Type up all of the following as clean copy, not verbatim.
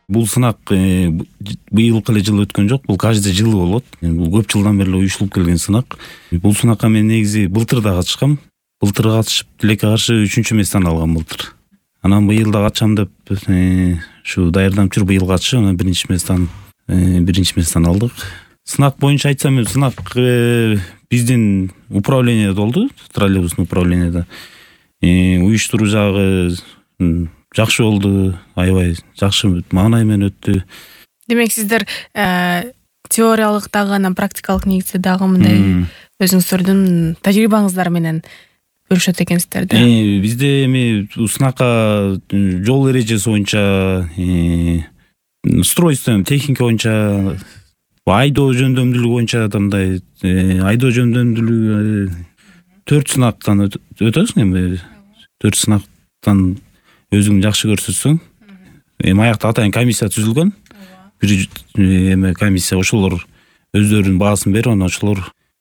Бул сынак быйылкы эле жыл өткөн жок, бул каждый жылы болот. Бул көп жылдан бери ушулуп келген сынак. Бул сынакка мен негизи былтыр да катышкам. Былтыр катышып тилекке каршы 3-чү месттен алгам былтыр. Анан быйыл да катышам деп ушу даярданып жүрүп быйыл катышып, анан биринчи месттен алдык. Сынак боюнча айтсам, сынак биздин управленияда болду, троллейбустун управленияда. Уюштуруу жагы жакшы болду, аябай жакшы маанай менен өттү. Демек сиздер теориялык дагы, анан практикалык негизде дагы мындай өзүңүздөрдүн тажрыйбаңыздар менен бөлүшөт экенсиздер да. Бизде эми сынакка жол эрежеси боюнча, устройство, техника боюнча, айдоо жөндөмдүүлүгү боюнча мындай айдоо жөндөмдүүлүгү 4 сынактан өтөсүң эми. 4 сынактан өзүң жакшы көрсөтсөң, эми аякта атайын комиссия түзүлгөн. Бир комиссия ошолор өздөрүнүн баасын берип, анан ошолор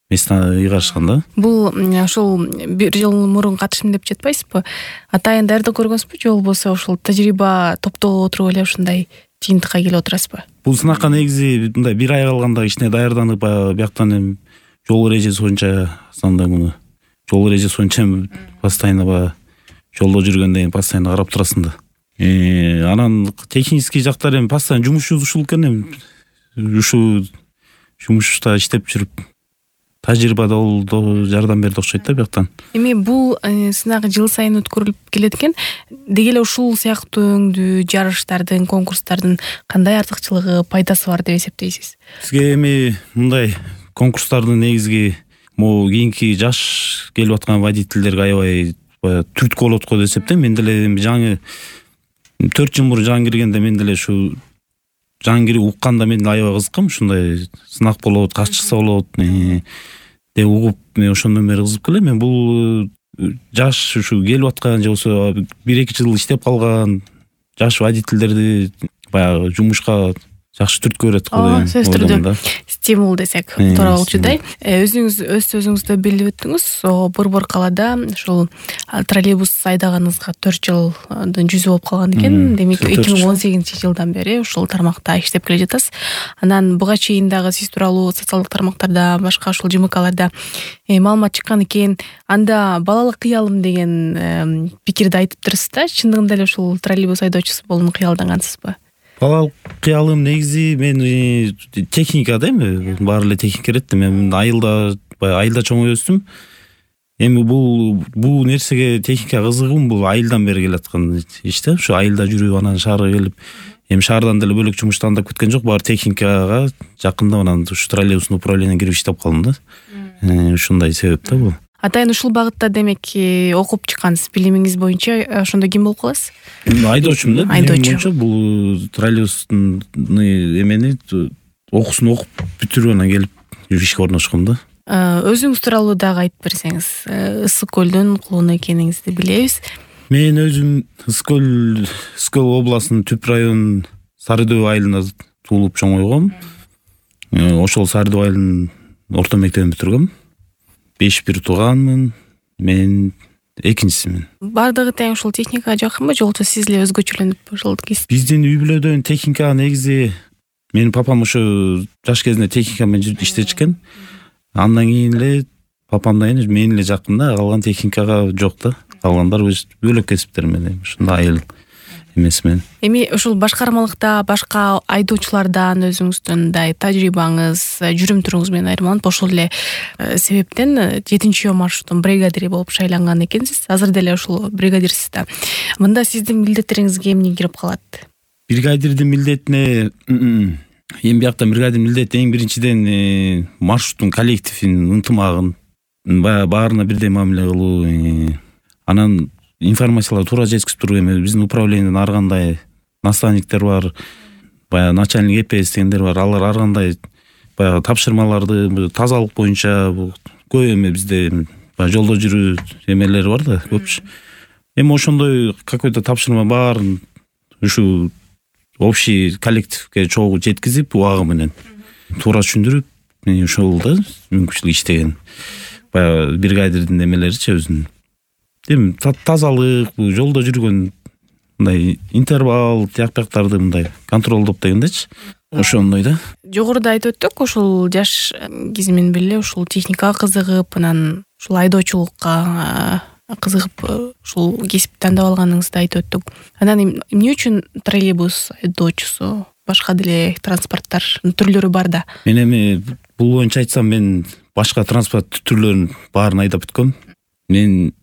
местен ыйгарышкан да. Бул ошол бир жыл мурун катышым деп жетпайсызбы? Атайын даярдык көргөнсүзбү же болбосо ошол тажрыйба топтолуп отуруп эле ушундай жыйынтыкка келип отурасызбы? Бул сынакка негизи мындай бир ай калганда кичине даярданып, бияктан эми жол эрежеси боюнча муну жол эрежеси боюнча постоянно жолдо жүргөндө постоянно карап турасың да. Анан технический жактар эми постоянно жумушчубуз ушул экен, эми ушу жумушта иштеп жүрүп тажрыйба да жардам берди окшойт да бияктан. Эми бул сынак жыл сайын өткөрүлүп келет экен. Деги эле ушул сыяктуу өңдүү жарыштардын, конкурстардын кандай артыкчылыгы, пайдасы бар деп эсептейсиз? Бизге эми мындай конкурстардын негизги могу кийинки жаш келип аткан водительдерге аябай түрткү болот го деп эсептейм. Мен деле жаңы 4 жыл мурун жаңы киргенде мен деле ушу жаңы кирип укканда мен аябай кызыккам. Ушундай сынак болот, качыкса болот деп угуп, мен ошондон бери кызык келем. Мен бул жаш ушу келип аткан же болбосо 1-2 жыл иштеп калган жаш водительдерди баягы жумушка жакшы түрткү берет го деп ойлойм. Стимул десек туура болчудай. Өзүңүз өз сөзүңүздө билип өттүңүз, Борбор калаада ушул троллейбус айдаганыңызга 4 жылдын жүзү болуп калган экен. Демек 2018-жылдан бери ушул тармакта иштеп келе жатасыз. Анан буга чейин дагы сиз тууралуу социалдык тармактарда, башка ушул ЖМКларда маалымат чыккан экен. Анда балалык кыялым деген пикирди айтып турсуз да. Чындыгында эле ушул троллейбус айдоочусу болууну кыялдангансызбы? Балалык кыялым негизи мен техникада эми баары эле техника эретти. Мен айылда чоңоюп өстүм. Эми бул нерсеге техника кызыгым бул айылдан бери келаткан иш да. Ушу айылда жүрүп, анан шаарга келип, эми шаардан деле бөлөк жумуш тандап кеткен жок, баары техникага жакында анан ушу троллейбустун управлениене кирип иштеп калдым да. Ушундай себеп да бул. Атайын ушул багытта демек окуп чыккансыз. Билимиңиз боюнча ошондо ким болуп каласыз? Айдоочумун да. Айдоочу. Бул троллейбустун эмени окуусун окуп бүтүрүп анан келип ишке орношком да. Өзүңүз тууралуу дагы айтып берсеңиз. Ысык көлдүн кулуну экениңизди билебиз. Мен өзүм Ысык көл областынын Түп районунун Сары Дөбө айылында туулуп чоңойгом. Ошол Сары Дөбө айылынын орто мектебин бүтүргөм. 5-1 тууганмын. Мен экинчисимин. Бардыгы тең ушул техникага жакынбы, же болбосо сиз эле өзгөчөлөнүп ушул кесип? Биздин үй бүлөдөн техника негизи менин папам ошо жаш кезинде техника менен иштечкен. Андан кийин эле папамдан кийин мен эле жакын да, калган техникага жок да. Калгандар өз бөлөк кесиптер менен ушундай айыл эмесмен. Эми ушул башкармалыкта башка айдоочулардан өзүңүздүн мындай тажрыйбаңыз, жүрүм туруңуз менен айырмаланып, ошол эле себептен 7-жол маршруттун бригадири болуп шайланган экенсиз. Азыр деле ушул бригадирсиз да. Мында сиздин милдеттериңизге эмне кирип калат? Бригадирдин милдетине эми биякта бригадир милдети эң биринчиден маршруттун коллективин, ынтымагын баарына бирдей мамиле кылуу, анан информацияларды туура жеткизип туруп, эми биздин управлениеден ар кандай наставниктер бар, баягы начальник ЭПС дегендер бар. Алар ар кандай баягы тапшырмаларды тазалык боюнча көп эми бизде жолдо жүрүү эмелери бар да, көпчү. Эми ошондой какой-то тапшырма бар, ушу общий коллективге чогуу жеткизип, убагы менен туура түшүндүрүп, ошол да мүмкүнчүлүк иштеген. Бригадирдин эмелеричи өзүнүн. Эми тазалык, жолдо жүргөн мындай интервал тияк-бияктарды мындай контролдоп дегендечи. Ошондой да. Жогоруда айтып өттүк, ушул жаш кези менен бирге ушул техникага кызыгып, анан ушул айдоочулукка кызыгып ушул кесипти тандап алганыңызды айтып өттүк. Анан эмне үчүн троллейбус айдоочусу, башка деле транспорттардын түрлөрү бар да? Мен эми бул боюнча айтсам, мен башка транспорт түрлөрүнүн баарын айдап бүткөм. Мен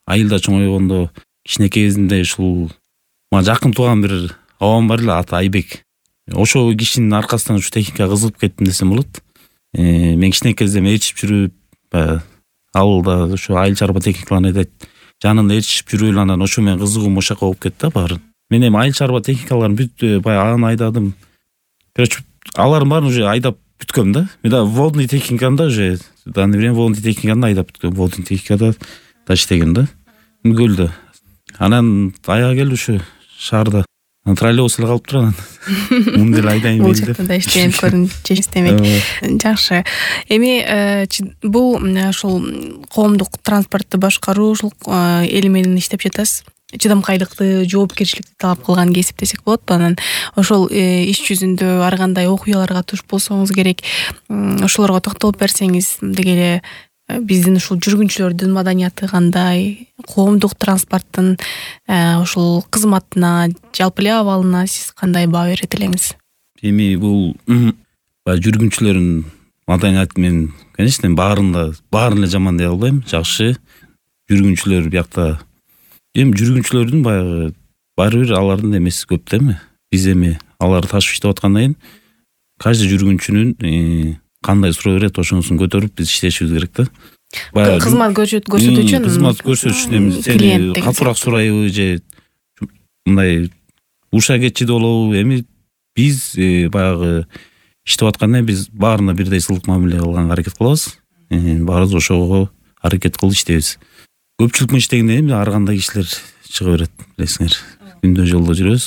айылда чоңойгондо кичинекей кезимде ушул мага жакын тууган бир абам бар эле, аты Айбек. Ошол кишинин аркасынан ушу техникага кызыгып кеттим десем болот. Мен кичинекей кезден ээрчип жүрүп, ауылда ушу айыл чарба техникаларын айдайт, жанында ээрчип жүрүп эле анан ошо менен кызыгуум ошока болуп кетти да баары. Мен эми айыл чарба техникаларын бүт баягы аны айдадым. Короче, алардын баарын уже айдап бүткөм да. Мен да водный техниканы да уже данный время водный техниканы айдап бүткөм. Водный техникада да иштеген да. Көлдө. Анан аяга келди ушу шаарда. Троллейбус эле калып турат. Муну деле айдайын бул жакта да иштеп көрүнчү иштемек. Жакшы. Эми бул ушул коомдук транспортты башкаруу ушул эл менен иштеп жатасыз. Чыдамкайлыкты, жоопкерчиликти талап кылган кесип десек болот. Анан ошол иш жүзүндө ар кандай окуяларга туш болсоңуз керек. Ошолорго токтолуп берсеңиз, деги эле биздин ушул жүргүнчүлөрдүн маданияты кандай, коомдук транспорттун ушул кызматына, жалпы эле абалына сиз кандай баа берет элеңиз? Эми бул жүргүнчүлөрдүн маданияты мен, конечно, баарын эле жаман дей албайм. Жакшы жүргүнчүлөр биякта. Эми жүргүнчүлөрдүн баягы баары бир алардын эмеси көп да эми. Биз эми аларды ташып иштеп аткандан кийин каждый жүргүнчүнүн кандай суроо берет, ошонусун көтөрүп биз иштешибиз керек да. Баягы кызмат көрсөтүү үчүн. Кызмат көрсөтүү үчүн эми сени катуураак сурайбы же мындай уша кетчи болобу? Эми биз баягы иштеп атканда биз баарына бирдей сылык мамиле кылганга аракет кылабыз. Баарыбыз ошого аракет кылып иштейбиз. Көпчүлүк менен иштегенде эми ар кандай кишилер чыга берет, билесиңер. Күндө жолдо жүрөбүз.